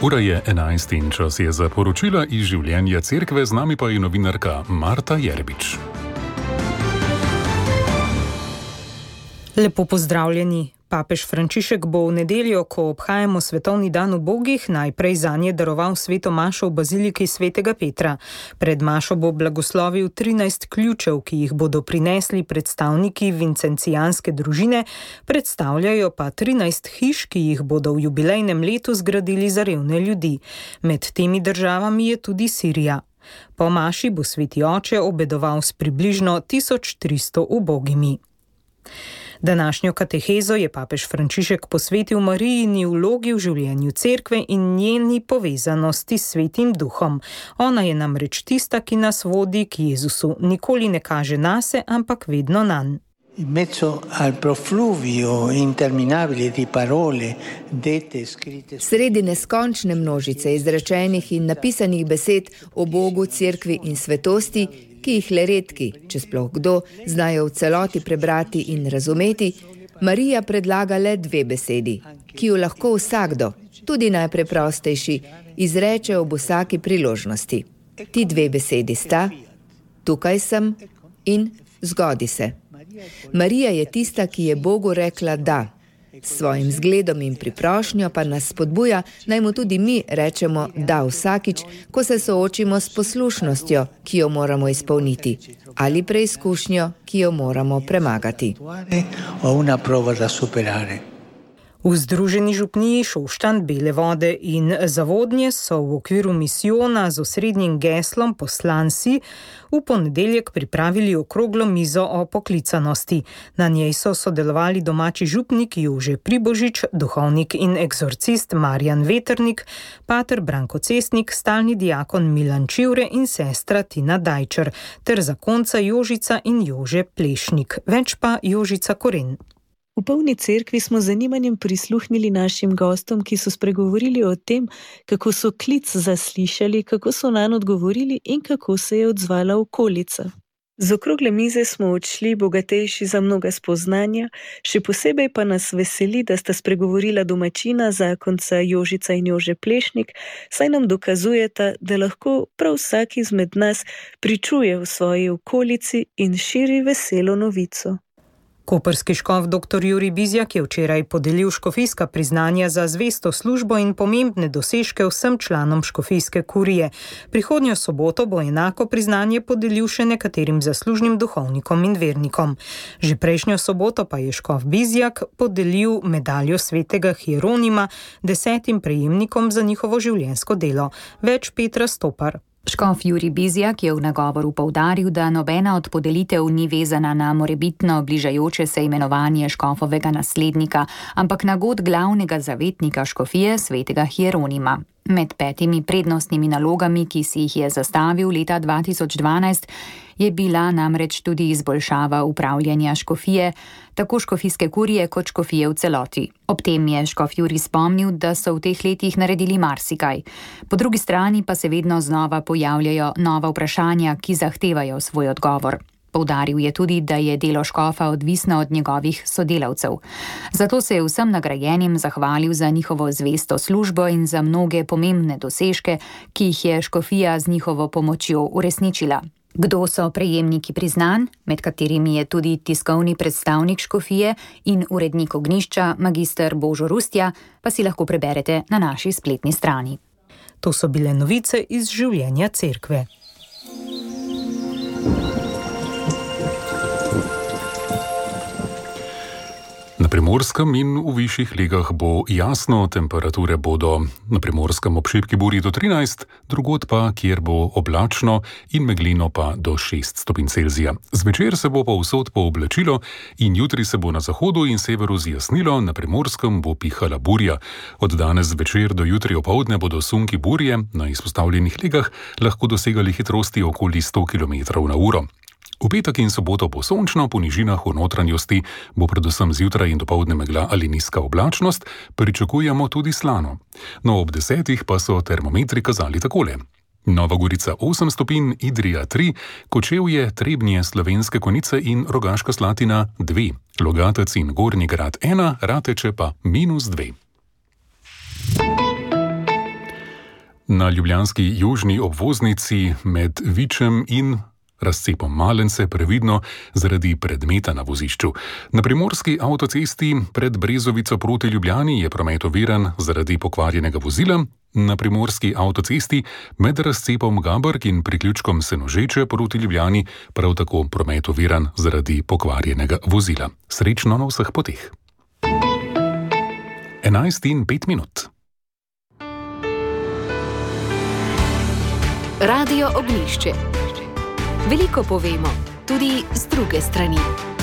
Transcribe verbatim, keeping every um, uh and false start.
Ura je enajst in čas je za poročila iz življenja cerkve, z nami pa je novinarka Marta Jerbič. Lepo pozdravljeni. Papež Frančišek bo v nedeljo, ko obhajamo svetovni dan ubogih, najprej zanje daroval sveto mašo v baziliki svetega Petra. Pred mašo bo blagoslovil trinajst ključev, ki jih bodo prinesli predstavniki vincencijanske družine, predstavljajo pa trinajst hiš, ki jih bodo v jubilejnem letu zgradili za revne ljudi. Med temi državami je tudi Sirija. Po maši bo sveti oče obedoval s približno tisoč tristo ubogimi. Današnjo katehezo je papež Frančišek posvetil Marijini vlogi v življenju cerkve in njeni povezanosti s Svetim Duhom. Ona je namreč tista, ki nas vodi k Jezusu. Nikoli ne kaže nase, ampak vedno nanj. In mezzo al profluvio interminabile di parole dette e scritte. Sredi neskončne množice izrečenih in napisanih besed o Bogu, cerkvi in svetosti, ki jih le redki, če sploh kdo, znajo v celoti prebrati in razumeti, Marija predlaga le dve besedi, ki jo lahko vsakdo, tudi najpreprostejši, izreče ob vsaki priložnosti. Ti dve besedi sta: tukaj sem in zgodi se. Marija je tista, ki je Bogu rekla da. S svojim zgledom in priprošnjo pa nas spodbuja, naj mu tudi mi rečemo da vsakič, ko se soočimo s poslušnostjo, ki jo moramo izpolniti, ali preizkušnjo, ki jo moramo premagati. V Združeni župniji Šoštanj, Bele vode in Zavodnje so v okviru misijona z osrednjim geslom Poslan si v ponedeljek pripravili okroglo mizo o poklicanosti. Na njej so sodelovali domači župnik Jože Pribožič, duhovnik in eksorcist Marjan Veternik, pater Branko Cestnik, stalni diakon Milan Čivre in sestra Tina Dajčer, ter zakonca Jožica in Jože Plešnik, več pa Jožica Koren. V polni cerkvi smo z zanimanjem prisluhnili našim gostom, ki so spregovorili o tem, kako so klic zaslišali, kako so nanj odgovorili in kako se je odzvala okolica. Z okrogle mize smo odšli bogatejši za mnoga spoznanja, še posebej pa nas veseli, da sta spregovorila domačina, zakonca Jožica in Jože Plešnik, saj nam dokazujeta, da lahko prav vsak izmed nas pričuje v svoji okolici in širi veselo novico. Koprski škof dr. Jurij Bizjak je včeraj podelil škofijska priznanja za zvesto službo in pomembne dosežke vsem članom škofijske kurije. Prihodnjo soboto bo enako priznanje podelil še nekaterim zaslužnim duhovnikom in vernikom. Že prejšnjo soboto pa je škof Bizjak podelil medaljo svetega Hieronima desetim prejemnikom za njihovo življenjsko delo. Več Petra Stopar. Škof Jurij Bizjak je v nagovoru poudaril, da nobena od podelitev ni vezana na morebitno bližajoče se imenovanje škofovega naslednika, ampak na god glavnega zavetnika škofije, svetega Hieronima. Med petimi prednostnimi nalogami, ki si jih je zastavil leta dva tisoč dvanajst, je bila namreč tudi izboljšava upravljanja škofije, tako škofijske kurije kot škofije v celoti. Ob tem je škof Jurij spomnil, da so v teh letih naredili marsikaj. Po drugi strani pa se vedno znova pojavljajo nova vprašanja, ki zahtevajo svoj odgovor. Poudaril je tudi, da je delo škofa odvisno od njegovih sodelavcev. Zato se je vsem nagrajenim zahvalil za njihovo zvesto službo in za mnoge pomembne dosežke, ki jih je škofija z njihovo pomočjo uresničila. Kdo so prejemniki priznanj, med katerimi je tudi tiskovni predstavnik škofije in urednik Ognjišča, magister Božo Rustja, pa si lahko preberete na naši spletni strani. To so bile novice iz življenja cerkve. Na Primorskem in v višjih legah bo jasno, temperature bodo na Primorskem ob šibki burji do trinajst, drugod pa, kjer bo oblačno in meglino pa do šest stopinj Celzija. Zvečer se bo povsod pooblačilo in jutri se bo na zahodu in severu zjasnilo, na Primorskem bo pihala burja. Od danes zvečer do jutri opoldne bodo sunki burje na izpostavljenih legah lahko dosegali hitrosti okoli sto kilometrov na uro. V petek in soboto bo sončno, po nižinah v notranjosti bo predvsem zjutraj in dopoldne megla ali nizka oblačnost, pričakujemo tudi slano. No, ob desetih pa so termometri kazali takole. Nova Gorica osem stopinj, Idrija tri, Kočevje, Trebnje, Slovenske Konjice in Rogaška Slatina dve, Logatec in Gornji Grad ena, Rateče pa minus dve. Na ljubljanski južni obvoznici med Vičem in razcepom Malence previdno zaradi predmeta na vozišču. Na primorski avtocesti pred Brezovico proti Ljubljani je promet oviran zaradi pokvarjenega vozila. Na primorski avtocesti med razcepom Gabrk in priključkom Senožeče proti Ljubljani prav tako promet oviran zaradi pokvarjenega vozila. Srečno na vseh poteh. enajst in pet minut. Radio Ognjišče. Veliko povemo, tudi z druge strani.